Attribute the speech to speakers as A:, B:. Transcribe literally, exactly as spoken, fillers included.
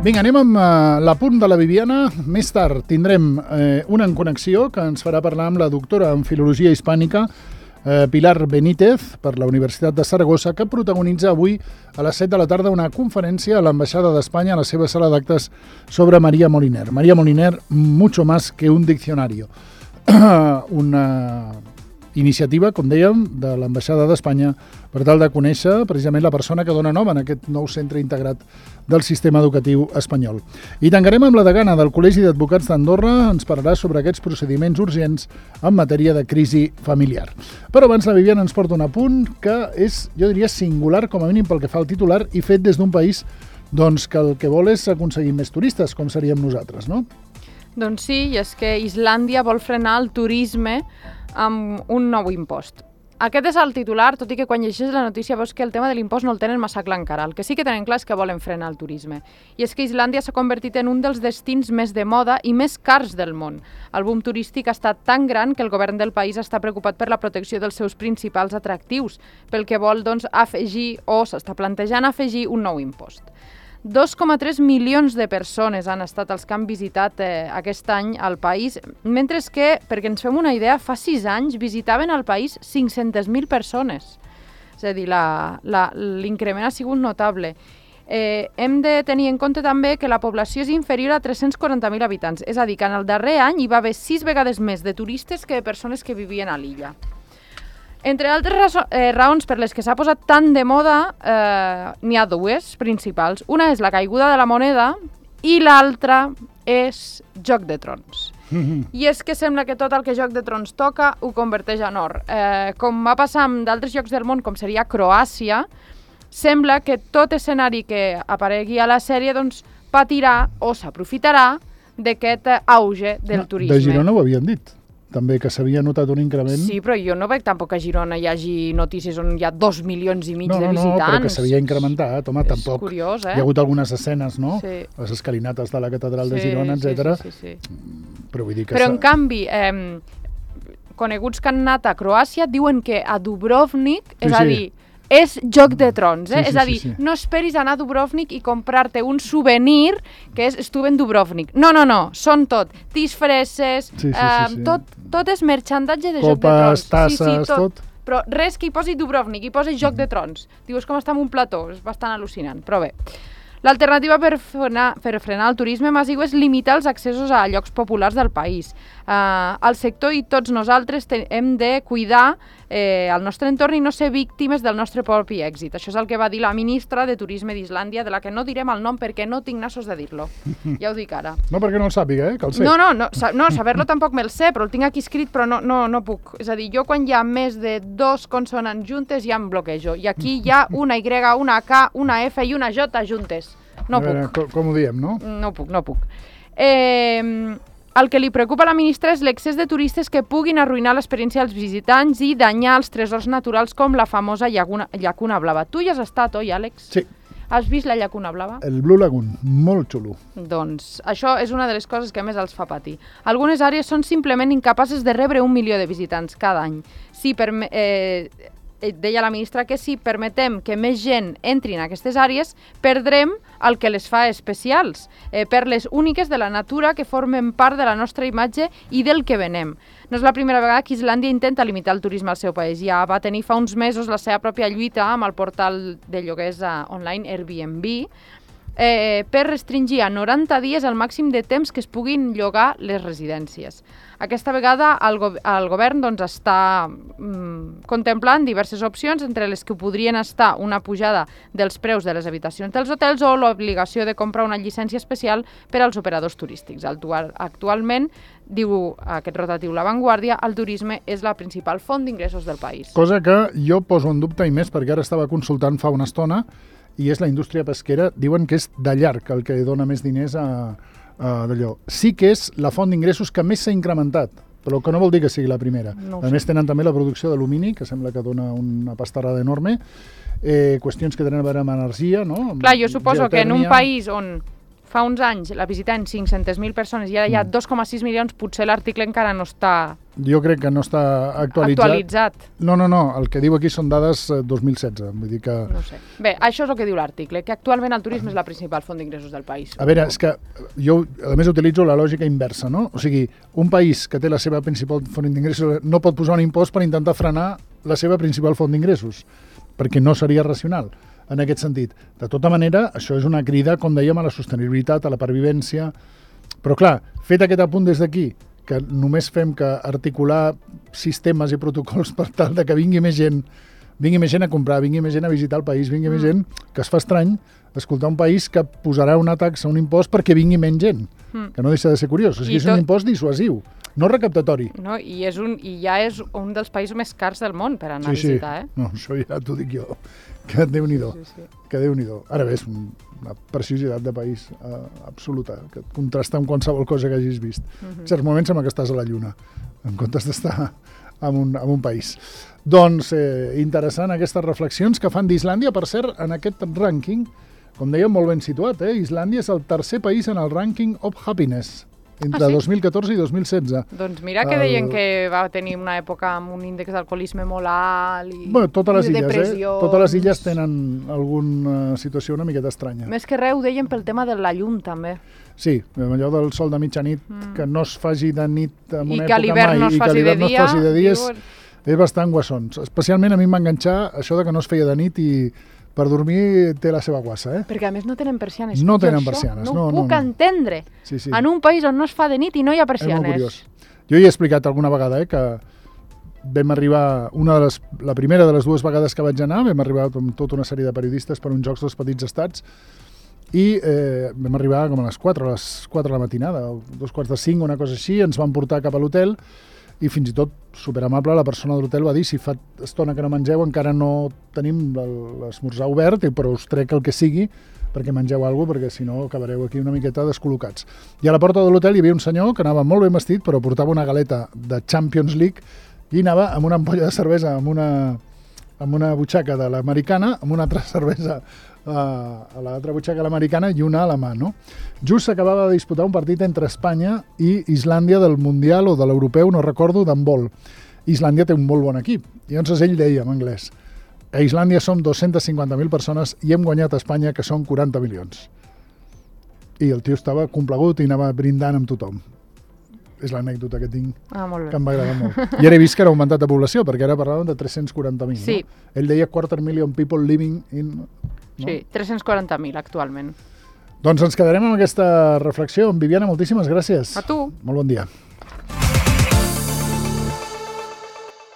A: Vinga, anem amb uh, l'apunt de la Viviana. Més tard tindrem eh, una en connexió que ens farà parlar amb la doctora en Filologia Hispànica, eh, Pilar Benítez, per la Universitat de Saragossa, que protagonitza avui a les set de la tarda una conferència a l'Ambaixada d'Espanya a la seva sala d'actes sobre María Moliner. María Moliner, mucho más que un diccionario. Una iniciativa, com dèiem, de l'Ambaixada d'Espanya per tal de conèixer precisament la persona que dona nom en aquest nou centre integrat del sistema educatiu espanyol. I tancarem amb la degana del Col·legi d'Advocats d'Andorra, ens parlarà sobre aquests procediments urgents en matèria de crisi familiar. Però abans la Viviana ens porta un apunt que és, jo diria, singular, com a mínim pel que fa al titular, i fet des d'un país doncs, que el que vol és aconseguir més turistes, com seríem nosaltres, no?
B: Doncs sí, i és que Islàndia vol frenar el turisme amb un nou impost. Aquest és el titular, tot i que quan llegeixes la notícia veus que el tema de l'impost no el tenen massa clar encara. El que sí que tenen clar és que volen frenar el turisme. I és que Islàndia s'ha convertit en un dels destins més de moda i més cars del món. El boom turístic ha estat tan gran que el govern del país està preocupat per la protecció dels seus principals atractius, pel que vol doncs, afegir o s'està plantejant afegir un nou impost. dos coma tres milions de persones han estat els que han visitat eh, aquest any al país, mentre que, perquè ens fem una idea, fa sis anys visitaven al país cinc-centes mil persones. És a dir, l'increment ha sigut notable. Eh, hem de tenir en compte també que la població és inferior a tres-cents quaranta mil habitants, és a dir, que en el darrer any hi va haver sis vegades més de turistes que de persones que vivien a l'illa. Entre altres raso eh, raons per les que s'ha posat tant de moda, eh, n'hi ha dues principals. Una és la caiguda de la moneda i l'altra és Joc de Trons. Mm-hmm. I és que sembla que tot el que Joc de Trons toca ho converteix en or. Eh, com va passar amb d'altres llocs del món, com seria Croàcia, sembla que tot escenari que aparegui a la sèrie doncs, patirà o s'aprofitarà d'aquest auge del
A: no,
B: turisme.
A: De Girona ho havien dit. També que s'havia notat un increment.
B: Sí, però jo no veig tampoc que a Girona hi hagi notícies on hi ha dos milions i mig
A: no, no,
B: de visitants.
A: No, però que s'havia incrementat, home,
B: és
A: tampoc.
B: Curiós, eh?
A: Hi ha hagut algunes escenes, no?
B: Sí.
A: Les escalinates de la catedral
B: sí,
A: de Girona, etcètera.
B: Sí, sí, sí, sí.
A: Però vull dir que...
B: Però en canvi, eh, coneguts que han anat a Croàcia diuen que a Dubrovnik,
A: sí,
B: és a
A: sí.
B: dir, és Joc de Trons, eh?
A: Sí, sí,
B: és a dir,
A: sí, sí.
B: no esperis anar a Dubrovnik i comprar-te un souvenir que és estuve en Dubrovnik. No, no, no, són tot. Disfresses,
A: sí, sí, sí,
B: eh,
A: sí.
B: tot, tot és merchandatge de
A: Copes,
B: Joc de Trons.
A: tasses,
B: sí, sí, tot.
A: tot.
B: Però res que hi posi Dubrovnik, hi posi Joc de Trons. Dius com està en un plató, és bastant al·lucinant, però bé. L'alternativa per frenar, per frenar el turisme massiu és limitar els accessos a llocs populars del país. Uh, el sector i tots nosaltres te, hem de cuidar eh, el nostre entorn i no ser víctimes del nostre propi èxit. Això és el que va dir la ministra de Turisme d'Islàndia, de la que no direm el nom perquè no tinc nassos de dir-lo. Ja ho dic ara.
A: No perquè no el sàpiga, eh? Que el sé.
B: No, no, no, sa no saber-lo tampoc me'l sé, però el tinc aquí escrit, però no, no, no puc. És a dir, jo quan hi ha més de dos consonants juntes ja em bloquejo. I aquí hi ha una Y, una K, una F i una J juntes. No
A: veure,
B: puc.
A: Com, com ho diem, no?
B: No puc, no puc. Eh, el que li preocupa a la ministra és l'excés de turistes que puguin arruïnar l'experiència dels visitants i danyar els tresors naturals com la famosa llacuna, llacuna blava. Tu hi has estat, oi, Àlex?
A: Sí.
B: Has vist la llacuna blava?
A: El Blue Lagoon, molt xulo.
B: Doncs això és una de les coses que més els fa patir. Algunes àrees són simplement incapaces de rebre un milió de visitants cada any. Si per, eh, deia la ministra que si permetem que més gent entri en aquestes àrees, perdrem el que les fa especials, eh, perles úniques de la natura que formen part de la nostra imatge i del que venem. No és la primera vegada que Islàndia intenta limitar el turisme al seu país. Ja va tenir fa uns mesos la seva pròpia lluita amb el portal de lloguers online Airbnb, eh, per restringir a noranta dies el màxim de temps que es puguin llogar les residències. Aquesta vegada el, go el govern doncs, està mm, contemplant diverses opcions, entre les que podrien estar una pujada dels preus de les habitacions dels hotels o l'obligació de comprar una llicència especial per als operadors turístics. Actualment, diu aquest rotatiu La Vanguardia, el turisme és la principal font d'ingressos del país.
A: Cosa que jo poso en dubte i més perquè ara estava consultant fa una estona i és la indústria pesquera. Diuen que és de llarg el que dona més diners a... Uh, d'allò. Sí que és la font d'ingressos que més s'ha incrementat, però que no vol dir que sigui la primera. No a més, tenen també la producció d'alumini, que sembla que dona una pastarada enorme, eh, qüestions que tenen a veure amb energia, no? Amb
B: Clar, jo suposo geotèrmia. Que en un país on fa uns anys la visitaven cinc-centes mil persones i ara hi ha dos coma sis milions, potser l'article encara no està
A: Jo crec que no està actualitzat.
B: actualitzat.
A: No, no, no, el que diu aquí són dades dos mil setze, vull dir que...
B: No sé. Bé, això és el que diu l'article, que actualment el turisme és la principal font d'ingressos del país.
A: A veure, és que jo, a més, utilitzo la lògica inversa, no? O sigui, un país que té la seva principal font d'ingressos no pot posar un impost per intentar frenar la seva principal font d'ingressos, perquè no seria racional en aquest sentit. De tota manera, això és una crida, com dèiem, a la sostenibilitat, a la pervivència, però clar, fet aquest apunt des d'aquí, que només fem que articular sistemes i protocols per tal de que vingui més gent, vingui més gent a comprar, vingui més gent a visitar el país, vingui mm. més gent, que es fa estrany escoltar un país que posarà una taxa, un impost perquè vingui menys gent, mm. que no deixa de ser curiós. O sigui, és tot... un impost dissuasiu, no recaptatori.
B: No, i, és un, I ja és un dels països més cars del món per anar
A: sí,
B: a visitar,
A: sí.
B: eh?
A: No, això ja t'ho dic jo, que Déu-n'hi-do, sí, sí, sí. que Déu-n'hi-do. Ara bé, és una preciositat de país uh, absoluta, que et contrasta amb qualsevol cosa que hagis vist. Uh-huh. En certs moments sembla que estàs a la Lluna, en comptes d'estar en un, en un país. Doncs eh, interessant aquestes reflexions que fan d'Islàndia, per cert, en aquest rànquing, com dèiem, molt ben situat, eh? Islàndia és el tercer país en el rànquing of happiness, entre ah, sí? dos mil catorze i dos mil setze.
B: Doncs mira que el... deien que va tenir una època amb un índex d'alcoholisme molt alt i,
A: bueno, totes les
B: i
A: illes,
B: depressió.
A: Eh? Totes les illes tenen alguna situació una miqueta estranya.
B: Més que res ho deien pel tema de la llum, també.
A: Sí, allò del sol de mitjanit, mm. que no es faci de nit en una
B: I
A: època mai,
B: no
A: i que a l'hivern no es faci de dia, és,
B: diu...
A: és bastant guassons. Especialment a mi em va enganxar això de que no es feia de nit i per dormir té la seva guassa, eh?
B: Perquè a més no tenen persianes.
A: No
B: jo
A: tenen persianes,
B: no,
A: no,
B: ho
A: no.
B: puc
A: no.
B: entendre.
A: Sí, sí.
B: En un país on no es fa de nit i no hi ha persianes.
A: És molt curiós. Jo hi he explicat alguna vegada, eh, que vam arribar, una de les, la primera de les dues vegades que vaig anar, vam arribar amb tota una sèrie de periodistes per uns Jocs dels Petits Estats i eh, vam arribar com a les quatre, a les quatre de la matinada, dos quarts de cinc, una cosa així, ens van portar cap a l'hotel i fins i tot, superamable, la persona de l'hotel va dir si fa estona que no mengeu encara no tenim l'esmorzar obert, però us trec el que sigui perquè mengeu alguna cosa, perquè si no acabareu aquí una miqueta descol·locats. I a la porta de l'hotel hi havia un senyor que anava molt ben vestit, però portava una galeta de Champions League i anava amb una ampolla de cervesa, amb una, amb una butxaca de l'americana, amb una altra cervesa a l'altra butxaca l'americana i una a la mà, no? Just s'acabava de disputar un partit entre Espanya i Islàndia del Mundial o de l'Europeu, no recordo, d'handbol. Islàndia té un molt bon equip. I llavors ell deia en anglès: a Islàndia som dos-centes cinquanta mil persones i hem guanyat a Espanya, que són quaranta milions. I el tio estava complagut i anava brindant amb tothom. És l'anècdota que tinc,
B: ah, molt bé.
A: que m'agrada molt. I ara he vist que era augmentat de població, perquè ara parlàvem de tres-cents quaranta mil.
B: Sí.
A: No? Ell deia quarter million people living in... No?
B: Sí, tres-cents quaranta mil actualment.
A: Doncs ens quedarem amb aquesta reflexió. Viviana, moltíssimes gràcies.
B: A tu.
A: Molt bon dia.